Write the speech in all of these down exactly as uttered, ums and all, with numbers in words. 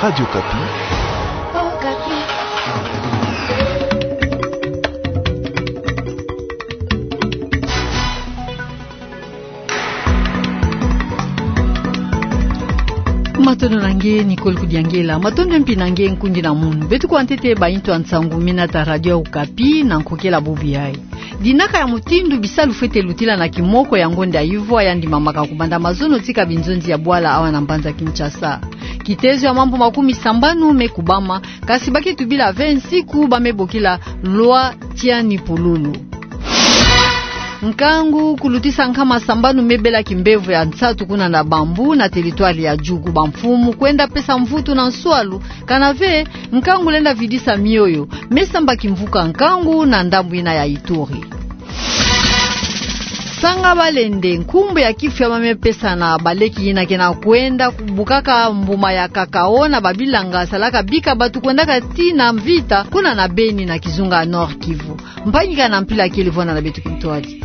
Radio Okapi. Matondo na nge, Nicole Kudiangela. Matondo mpi na nge, nkundi na munu. Beto kwa ntete ba intu ya nsangu mi nata Radio Okapi, na nkokela bubu yayi. Dinaka ya mutindu bisalu fwete lutila na kimoko ya ngonda ya ivwa ya ndimamaka kubanda mazono tika binzonzi ya bwala awa na mbanza Kinshasa. Kitezo ya mambu makumi sambanu me kubama, kasi ba ke tubila ve nsiku ba me bokila loi Tiani Pululu. Nkangu kulutisa nkama sambanu me bela kimbevo ya nsatu kuna na Bambou na territoire ya Djugu, bamfumu kwenda pesa mvutu na nswalu, kana ve nkangu lenda vidisa mioyo, me samba kimvuka nkangu na ndambu yina ya Ituri. Sanga Balende, nkumbu ya kifu ya ba me pesa na baleki yina ke na kwenda kubukaka mbuma ya cacao na babilanga salaka bika batu kwendaka tii na mvita kuna na Beni na kizunga Nord-Kivu. Mpangi kana mpila kele vwanda na beto kintwadi.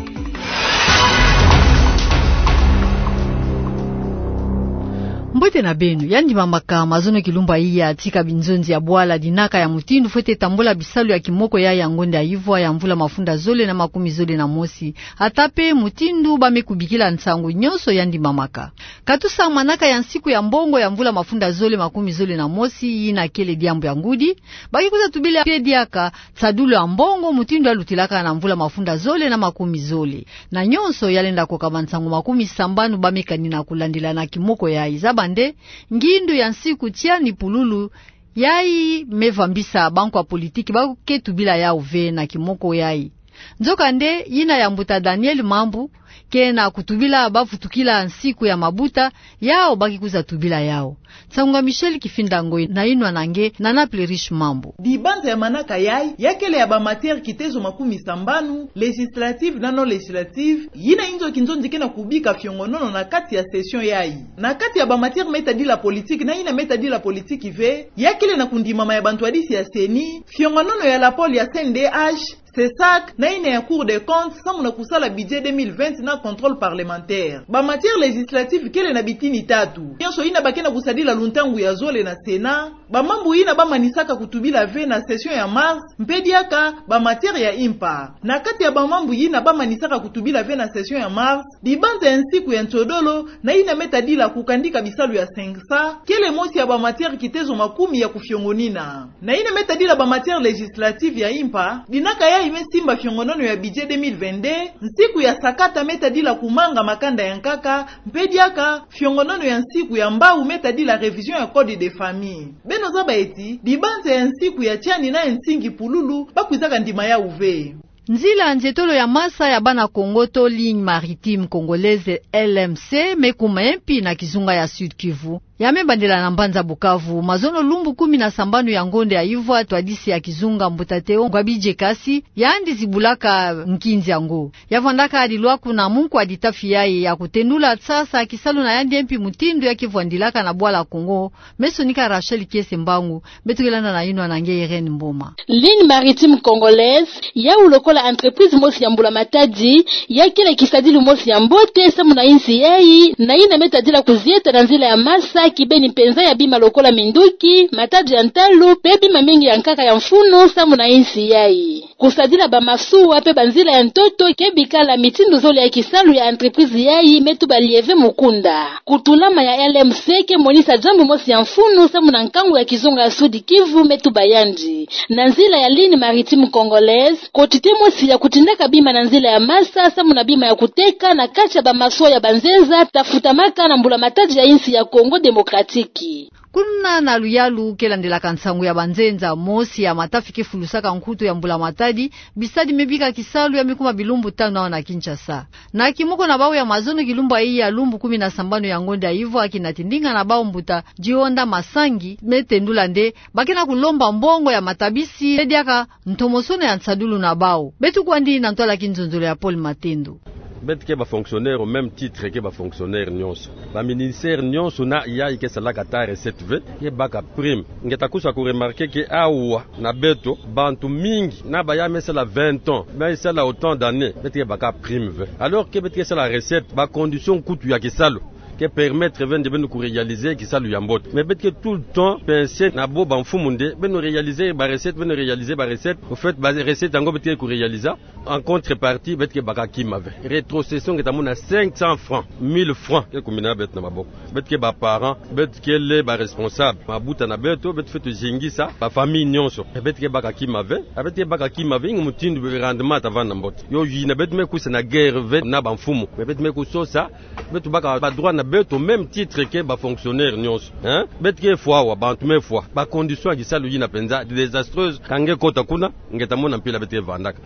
Mbote na beno. Ya ndimamaka mazono kilumbu yayi tika binzonzi ya bwala, dinaka ya mutindu fwete tambula bisalu ya kimoko yayi ya ngonda ya ivwa ya mvula mafunda zole na makumi zole na mosi. Ata pe mutindu ba me kubikila nsangu nyonso ya ndimamaka. Katusa manaka ya nsiku ya mbongo ya mvula mafunda zole makumi zole na mosi, yina kele diambu ya ngudi, ba ke kwiza tubila pe diaka nsadulu ya mbongo mutindu ya lutilaka na mvula mafunda zole na makumi zole. Na nyonso ya lenda koka bansangu makumi sambanu ba me kanina kulandila na kimoko yayi. Zaba nde, ngindu ya nsiku Tiani Pululu yayi me vambisa bankwa politiki ba ke tubila yawu ve na kimoko yayi. Nzoka nde, yina ya mbuta Daniel Mambu ke na kutubila ba vutukila nsiku ya mabuta, yawu ba ke kwiza tubila yawu. Nsangu nga Michel Kifinda Ngoi na inwa na nge na Naples Riche Mambu. Dibanza ya manaka yayi, ya kele ya ba matière kitezo makumi sambanu, législative na non législative, yina inzo kinzonzi ke na kubika fiongonono na kati ya session yayi. Na kati ya ba matière me tadila politique na yina me tadila politique ve, ya kele na kundimama ya bantwadisi ya CENI, fiongonono ya la pôle ya CNDH, CESAC, na yina ya Cour des comptes, samu na kusala budget deux mille vingt na contrôle parlementaire. Ba matière législative kele na bitini tatu. Nyonso yina ba ke na kusadila luntangu ya zole na Sénat, ba mambu yina ba manisaka kutubila ve na session ya mars, mpe diaka ba matière ya impa. Na kati ya ba mambu yina ba manisaka kutubila ve na session ya mars, dibanza ya nsiku ya nsodolo, na yina me tadila kukandika bisalu ya CENSA, kele mosi ya ba matière kitezo makumi ya kufiongonina. Na yina me tadila ba matière législative ya impa, dinaka yayi me simba fiongonono ya budget deux mille vingt-deux, nsiku ya sakata me tadila kumanga makanda ya nkaka, mpe diaka fiongonono ya nsiku ya mbawu me tadila révision ya code de famille. Beno zaba ti, dibanza ya nsiku ya Tiani na ya nsingi Pululu, ba kwizaka ndima yawu ve. Nzila nzietolo ya masa ya bana Kongo to Ligne Maritime Congolaise, L M C, me kuma mpi na kizunga ya Sud-Kivu. Ya me bandela na mbanza Bukavu, mazono lumbu kumi na sambanu ya ngonda ya ivwa, ntwadisi ya kizunga mbuta Théo Ngwabidje Kasi, yandi zibulaka nkinzi yango. Ya vwandaka dilwa kuna munkwa ditafi yayi ya kutendula sasa kisalu na yandi mpi mutindu ya ke vwandilaka na bwala Kongo, me sonika Rachel Kiese Mbangu, beto ke landa na inwa na nge Irène Mboma. Ligne Maritime Congolaise, yawu lokola entreprise mosi ya mbula-matadi, ya kele kisadilu mosi ya mbote samu na insi yayi, na yina me tadila kuzieta na nzila ya masa kibeni mpenza ya bima lokola minduki, matadi ya ntalu, mpe bima mingi ya nkaka ya mfunu samu na insi yayi. Kusadila ba masuwa mpe banzila ya ntoto ke bikala mitindu zole ya kisalu ya entreprise yayi me tuba lieve mukunda. Kutulama ya L M C ke monisa diambu mosi ya mfunu samu na nkangu ya kizunga ya Sud-Kivu, me tuba yandi. Na nzila ya Ligne Maritime Congolaise, quantité mosi ya kutindaka bima na nzila ya masa samu na bima ya kuteka na kati ya ba masuwa ya banzenza ta futamaka na mbula-matadi ya insi ya Congo Démocratique. Kuna na luyalu ke landelaka nsangu ya banzenza, mosi ya matafi ke fulusaka nkutu ya mbula-matadi, bisadi me bika kisalu ya me kuma bilumbu tanu awa na Kinshasa. Na kimoko na bawu ya mazono kilumbu yayi ya lumbu kumi na sambanu ya ngonda ya ivwa, kina tindinga na bawu mbuta Dionda Masangi, me tendula nde ba ke na kulomba mbongo ya matabisi, mpe diaka ntomosono ya nsadulu na bawu. Beto kwandi na ntwala kinzonzolo ya Paul Matendo. Beto ke ba fonctionnaire au même titre ke ba fonctionnaire nyonso. Ba ministère nyonso na yayi ke salaka ata recette ve, ke baka prime. Nge ta kusa ku remarquer que awa na beto, bantu mingi na ba ya me sala vingt ans, me sala autant d'années, beto ke baka prime ve. Alors que beto ke sala recette, ba condition nkutu ya kisalu ke permettre beno nde beno kuréaliser kisalu ya mbote. Mais beto ke tout le temps penser na bo bamfumu nde beno réaliser ba recettes, beno réaliser ba recettes. Au fait, ba recettes yango beto ke kuréaliser en contrepartie, beto ke baka kima ve. Rétrocession nge ta mona cinq cents francs, mille francs ke kumina beto na maboko. Beto ke ba parents, beto kele ba responsables, mabuta na beto, beto fwete zingisa ba famille nyonso. Beto ke baka kima ve, beto ke baka kima ve, ingi mutindu rendement ta vanda na mbote. Yo yina beto me kwisa na guerre ve na bamfumu, mais beto me kusosa beto baka ba droits na beto au même titre que ba fonctionnaires nyonso. Hein? Beto ke fwa wa bantu me fwa. Ba conditions ya kisalu yina penza désastreuse, ka nge kota kuna, nge ta mona mpila beto ke vandaka.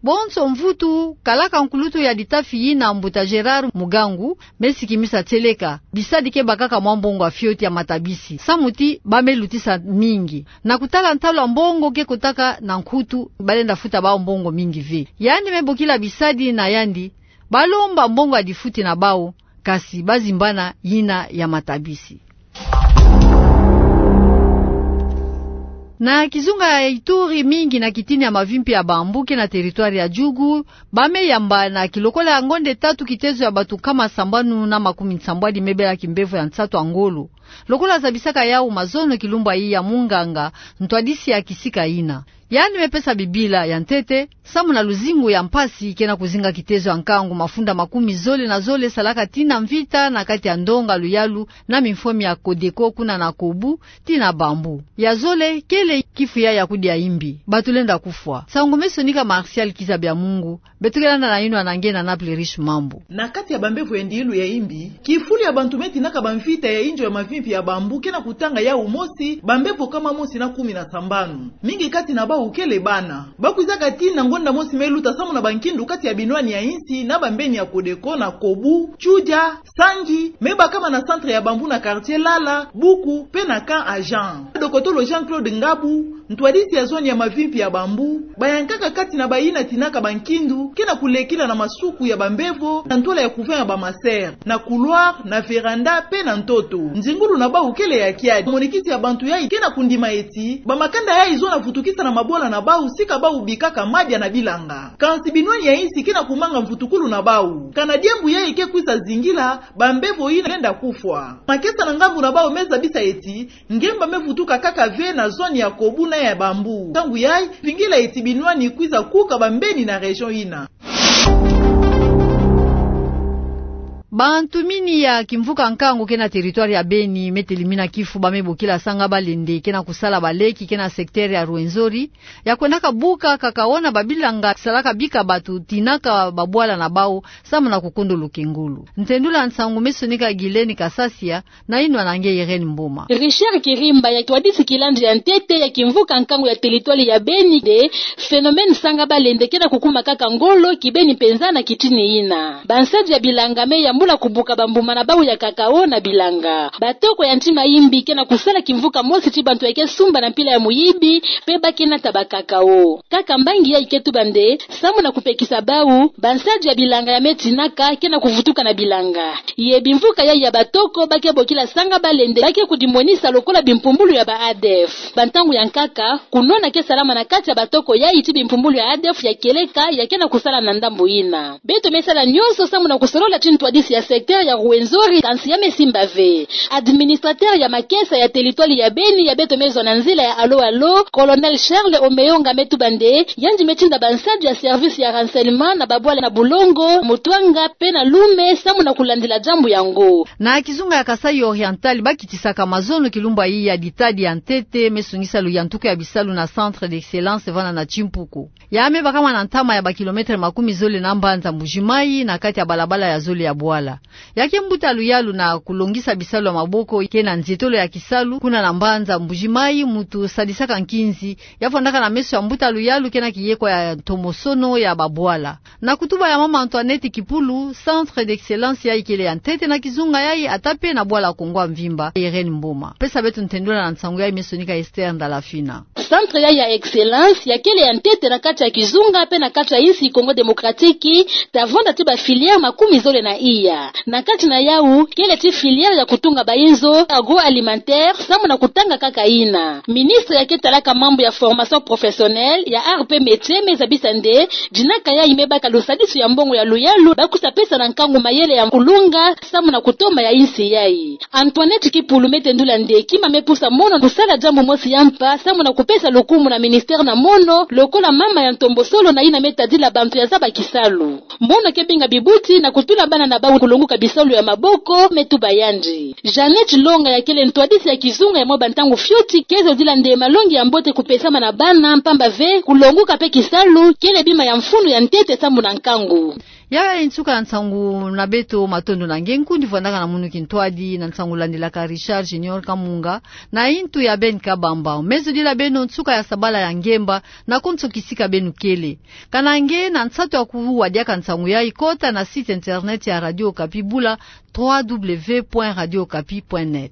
Bonso mvutu, kalaka nkulutu ya litafi yina, mbuta Gérard Mugangu, me sikimisa tieleka bisadi ke bakaka mwa mbongo ya fioti ya matabisi, samu ti ba me lutisa mingi. Na kutala ntalu ya mbongo ke kotaka na nkutu, balenda futa bawu mbongo mingi ve. Yandi me bokila bisadi na yandi ba lomba mbongo ya lifuti na bawu, kasi ba zimbana yina ya matabisi. Na kizunga ya Ituri, mingi na kitini ya mavimpi ya bambou ke na territoire ya Djugu, ba me yamba na kilokola ya ngonde tatu kitezo ya bantu nkama sambanu na makumi nsambwadi me bela kimbevo ya nsatu ya ngolo. Lokola zabisaka yawu mazono kilumbu yayi ya munganga ntwadisi ya kisika yina, yandi me pesa Bibila ya ntete, samu na luzingu ya mpasi ke na kuzinga kitezo ya nkangu mafunda makumi zole na zole salaka tina mvita na kati ya ndonga luyalu na mimfwemi ya Codeco kuna na Kobu tina Bambou. Ya zole kele kifu yayi ya kudia imbi, bantu lenda kufwa. Nsangu me sonika Martial Kizabiamungu, beto ke landa na yinwa na nge na Naples Riche Mambu. Na kati ya bambevo ya ndilu ya imbi, kifulu ya bantu me tinaka bamvita ya inzo ya mavimpi ya Bambou ke na kutanga yawu mosi, bambevo nkama mosi na kumi na sambanu. Mingi kati na bawu kele bana. Ba kwizaka tina ngonda mosi me luta samu na bankindu kati ya binwani ya insi na bambeni ya Codeco na Kobu, Tioudia, Sangi, me bakama na centre ya Bambou na quartier Lala, Buku, pe na Camp Agent. Dokotolo Jean-Claude Ngabu, ntwadisi ya zone ya mavimpi ya Bambou, bayankaka kati na bayina tinaka bankindu ke na kulekila na masuku ya bambevo na ntwala ya couvent ya ba ma sœurs, na couloir, na véranda, pe na ntoto. Nzingulu na bawu kele ya kiadi. Monikisi ya bantu yayi ke na kundima ti bamakanda yayi zona vutukisa na mabwala na bawu sika bawu bikaka madia na bilanga. Kansi binwani ya insi ke na kumanga mvutukulu na bawu. Kana diambu yayi ke kwiza zingila, bambevo yina lenda kufwa. Makesa na ngambu na bawu me zabisa ti ngemba me vutuka kaka ve na zone ya Kobu na ya Bambou. Ntangu yayi, vingila ti binwani kwiza kuka bambeni na région yina. Bantu mini ya kimvuka nkangu ke na territoire ya Beni me telimina kifu ba me bokila Sanga Balende ke na kusala baleki ke na secteur ya Rwenzori, ya kwendaka buka cacao na babilanga salaka bika bantu tinaka babwala na bawu samu na kukundulu kingulu. Ntendula nsangu me sonika Guylaine Kasasia, na yinwa na nge Irène Mboma. Richard Kirimba ya ntwadisi kilandi ya ntete ya kimvuka nkangu ya territoire ya Beni nde phénomène Sanga Balende ke na kukuma kaka ngolo kibeni mpenza na kitini yina. Bansadi ya bilanga me yambula kubuka bambuma na bawu ya cacao na bilanga. Batoko ya ntima imbi ke na kusala kimvuka mosi ti bantu ya ke sumba na mpila ya muyibi, pe ba ke nata ba cacao. Kaka mbangi yayi ke tuba nde, samu na kupekisa bawu, bansadi ya bilanga ya me tinaka ke na kuvutuka na bilanga. Ye bimvuka yayi ya batoko ba ke bokila Sanga Balende ba ke kudimonisa lokola bimpumbulu ya ba ADF. Bantangu ya nkaka, kunwana ke salama na kati ya batoko yayi ti bimpumbulu ya ADF ya kieleka ya ke na kusala na ndambu yina. Beto me sala nyonso samu na kusolola ti ntwadisi ya secteur ya Rwenzori, kansi ya me simba ve. Administrateur ya makesa ya territoire ya Beni ya beto me zwa na nzila ya Allô Allô, Colonel Charles Omeyonga me tuba nde, yandi me tinda bansadi ya service ya renseignement na babwala na Bulongo, Mutwanga, pe na Loume, samu na kulandila diambu yango. Na kizunga ya Kasaï Oriental, ba kitisaka mazono kilumbu yayi ya litadi ya ntete me sungisa luyantuku ya bisalu na Centre d'excellence vanda na Timpuku. Ya me bakama na ntama ya ba kilomètre makumi zole na mbanza Mbuji-Mayi, na kati ya balabala ya zole ya bwala. Ya ke mbuta luyalu na kulongisa bisalu ya maboko ke na nzietolo ya kisalu kuna na mbanza Mbuji-Mayi, muntu sadisaka nkinzi, ya fwandaka na meso ya mbuta luyalu ke na kiyekwa ya ntomosono ya babwala. Na kutuba ya mama Antoinette Kipulu, Centre d'excellence yayi kele ya ntete na kizunga yayi, ata pe na bwala Kongo ya mvimba. Irène Mboma pesa beto ntendula na nsangu yayi me sonika Esther Ndalafina. Centre yayi ya excellence ya kele ya ntete na kati ya kizunga pe na kati ya insi Congo Démocratique, ta vanda ti ba filière makumi zole na iya. Na kati na yawu, kele ti filière ya kutunga bayinzo, agroalimentaire, samu na kutanga kaka yina. Ministre yake talaka mambu ya formation professionnelle, ya art pe métier, me zabisa nde, dinaka yayi me baka lusadisu ya mbongo ya luyalu, ba kusa pesa na nkangu mayele ya kulunga, samu na kutoma ya insi yayi. Antoinette Kipulu me tendula nde kima me pusa mono kusala diambu mosi ya mpa, samu na kupesa lukumu na ministère na mono, lokola mama ya ntombosolo na yina me tadila bantu ya zaba kisalu. Mono ke binga bibuti na kutula bana na bawu kulonguka bisalu ya maboko, me tuba yandi. Jeannette Longa ya kele ntwadisi ya kizunga ya mwa bantangu fioti, ke zodila nde malongi ya mbote kupesama na bana, mpamba ve, kulonguka pe kisalu, kele bima ya mfunu ya ntete samu na nkangu. Yayi nsuka ya nsangu na beto, matondo na nge nkundi vwandaka na munu kintwadi na nsangu landilaka Richard Junior Kamunga, na intu ya Ben Kabamba. Me zodila beno nsuka ya sabala ya ngemba, na konso kisika beno kele. Kana nge na nsatu ya kuwa diaka nsangu yayi, kota na site internet ya Radio Okapi, bula trois W point radio okapi point net.